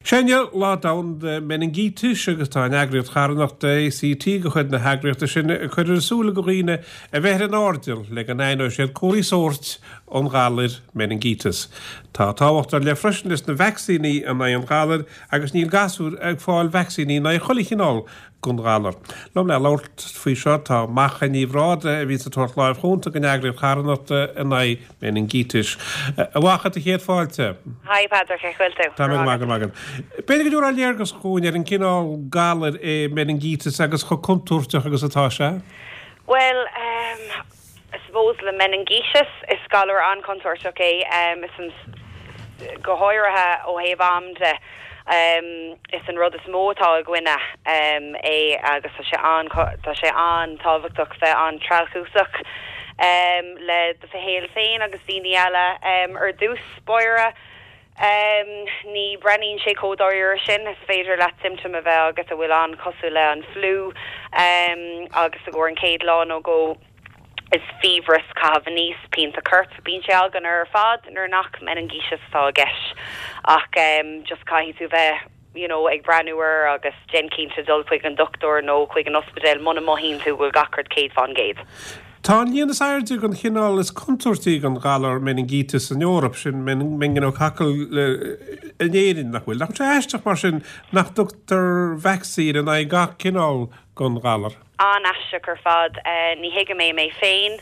Sé inniu Lá Domhanda Meiningítis agus tá an eagraíocht charthanachta ACT de chuid na heagraíochta sin ag cur ar a súile go dhaoine a bheith ar an airdeall le go n-aithneoidh siad comharthaí sóirt an ghalair meiningíteas. Tá tábhacht ar leith freisin leis na vacsaíní in aghaidh an ghalair agus níl gasúir ag fáil vacsaíní in aghaidh chuile chineál den ghalar. Liom le labhairt faoi seo tá Macha Ní Bhrádaigh a bhíonns ag tabhairt láimh chúnta don eagraíocht charthanachta in aghaidh meiningítis. A Mhacha, do chéad fáilte. Hi Padraic, cén chaoi a bhfuil tú? Tá mé go maith, go raibh maith agat. B'fhéidir go dtabharfá léargas dhúinn ar an gcineál galair é meiningíteas agus chomh contúirteach agus atá sé? Bhuel, ehm, I suppose le meiningíteas, is galar an-chontúirteach é, is an, go háirithe ó thaobh am de, is an rud is mó atá i gcoinne é agus tá sé an, tá sé an-tábhachtach bheith an-treallchúsach le do shaol féin agus daoine eile ar dtús báire. Ní breathnaíonn sé chomh dáiríre sin, is féidir leat symptom a bheith agat a bhfuil an-chosúil le an fliú agus i gcomhair an chéad lá nó dhó, Is fiabhras, caitheamh aníos, pianta coirp, bíonn sé againn ar fad nuair nach meiningíteas atá i gceist ach just caithfidh tú bheith you know ag breathnú air agus déan cinnte dul chuig an dochtúir nó chuig an ospidéal muna mothaíonn tú go bhfuil gach rud 100%. Tá an líon is airde den chineál is contúirtí den ghalar meiningíteas san Eoraip, sin meningococcal, in Éirinn, nach bhfuil? Nach bhfuil sé aisteach mar sin nach dtugtar vacsaín in aghaidh gach cineál den ghalar? An-aisteach ar fad. Ní thuigim é mé féin.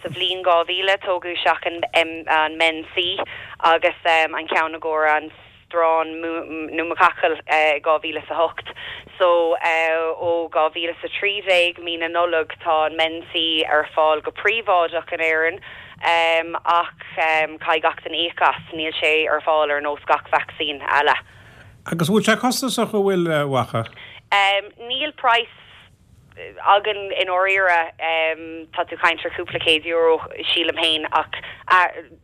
Sa bhliain 2000 tógadh isteach an Men C agus an ceann i gcomhair an strain pneumococcal i 2008. So ó 2013, mí na Nollag, tá an Men C ar fáil go príobháideach in Éirinn ach caithfidh gach duine íoc as. Níl sé ar fáil ar nós gach vacsaín eile. Agus an bhfuil sé costasach, an bhfuil, a Mhacha? Níl praghas againn i ndáiríre. Tá tú caint ar cúpla €100, sílim féin, ach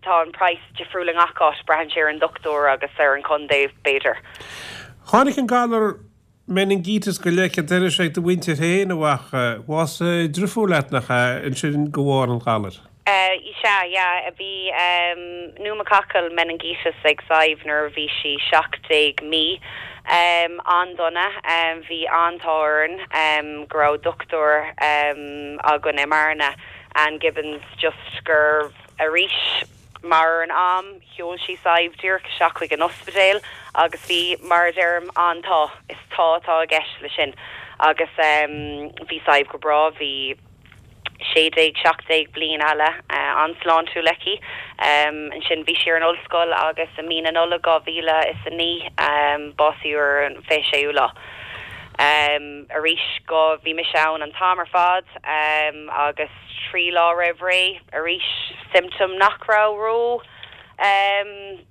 tá an praghas difriúil i ngach áit, braitheann sé ar an dochtúir agus ar an chontae, b'fhéidir. Tháinig an galar meiningíteas go leic an dorais ag do mhuintir féin, a Mhacha. Bhásaigh driofúr leat, nach ea, ansin de bharr an ghalair? Sea, yeah. Bhí pneumococcal meningitis ag Sadhbh nuair a bhí sí 17 mí. An-dona. Bhí an-t-ádh orainn go raibh dochtúir againn i mBearna, Anne Gibbons, just gur arís mar an am, sheol sí Sadhbh díreach isteach chuig an ospidéal agus bhí, mar a deirim, an-t-ádh. Is t-ádh atá i gceist leis sin. Agus bhí Sadhbh go breá, bhí. 16, 17 bliain eile an-sláintiúil aici. Ansin bhí sí ar an ollscoil agus i mí na Nollag 2009 básaíodh ar an 26ú lá. Arís go, bhí mise ann an t-am ar fad agus 3 lá roimh ré arís symptom nach raibh ró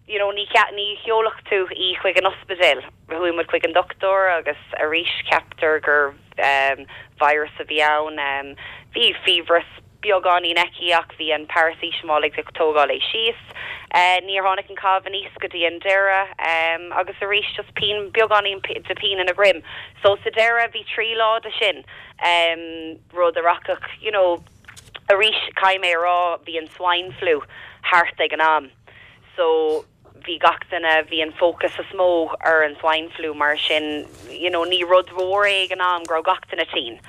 you know ní ní sheolfadh tú í chuig an ospidéal. Chuaigh muid chuig an dochtúir agus arís ceaptar gur virus a bhí ann. Bhí fiabhras beagáinín aici ach bhí an paracetamol ag tógáil é síos. Níor tháinig an caitheamh aníos go dtí an deireadh agus arís just pian, beagáinín de pian ina droim. So sa deireadh bhí 3 lá de sin, rud a rachadh, you know, arís caithfidh mé a rá bhí an swine flu thart ag an am so, bhí gach duine, bhí an fócas is mó ar an swine flu mar sin you know ní rud mhór é ag an am go raibh gach duine tinn.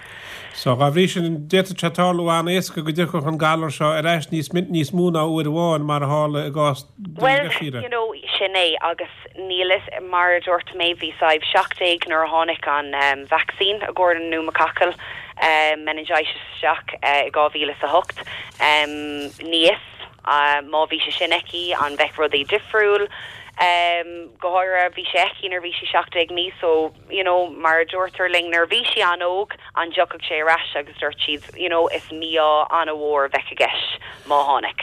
So dá bhrí sin d'fhéadfadh sé tarlú an-éasca go dtiocfadh an galar seo ar ais níos níos mó ná uair amháin mar a tharla i gcás do Bhuel you know sin é agus níl fhios mar a dúirt mé bhí Sadhbh 17 nuair a tháinig an vacsaín i gcomhair an pneumococcal meningitis isteach i 2008 ní fhios Má bhí sé sin aici, an mbeadh rudaí difriúil? Go háirithe, bhí sé aici nuair a bhí sí 17 mí so, you know, mar a dúirtear linn nuair a bhí sí an-óg, an dtiocfadh sé ar ais agus dúirt siad, you know, is mí-ádh an-mhór a bheadh i gceist má tháinig.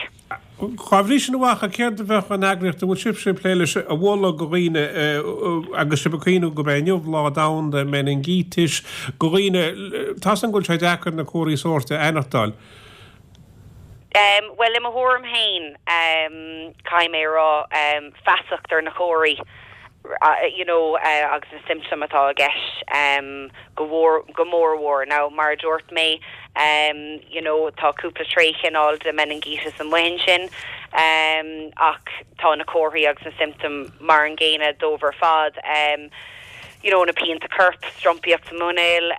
Dá bhrí sin, a Mhacha, céard a bheadh an eagraíocht a bhfuil sibhse ag plé leis a mholadh go dhaoine agus sibh ag cuimhniú gurb é inniu Lá Domhanda Meiningítis, go dhaoine, tá's agam go bhfuil sé deacair na comharthaí sóirt a aithneachtáil. Bhuel, i mo thuairim féin, caithfidh mé a rá, feasacht ar na comharthaí, you know, agus na symptoim atá i gceist, go mhór, go mór mhór. Now, mar a dúirt mé, You know, tá cúpla tréchineál de meiningíteas amuigh ansin, ach tá na comharthaí agus na symptoim mar an gcéanna dóibh ar fad. You know, na pianta coirp, strompaíocht sa muinéal,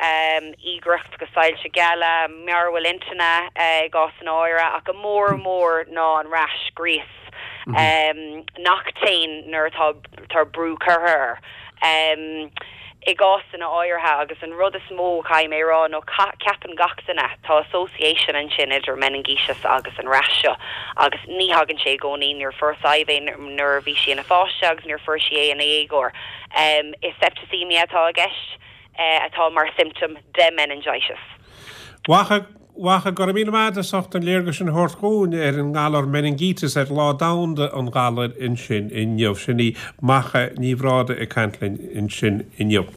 íogaireacht agus soilse geala, mearbhall intinne i gcásanna áirithe, ach go mór mór ná an rash, gríos, nach dtéann nuair atá tá brú curtha air. I gcásanna áirithe, agus an rud is mó a chaithfidh mé a rá nó ceapann gach duine, tá association ansin idir meiningíteas agus an rash seo agus ní thagann sé i gcónaí, níor fuair Sadhbh é nuair a bhí sí ina pháiste agus níor fuair sí é ina dhéagóir. Is septicemia atá i gceist atá mar symptom de meningitis. Mhacha, Mhacha, go raibh míle maith agat as ucht an léargas sin a thabhairt dhúinn ar an ngalar meiningíteas ar Lá Domhanda an Ghalair ansin inniu. Sin í Macha Ní Bhrádaigh ag caint linn ansin inniu.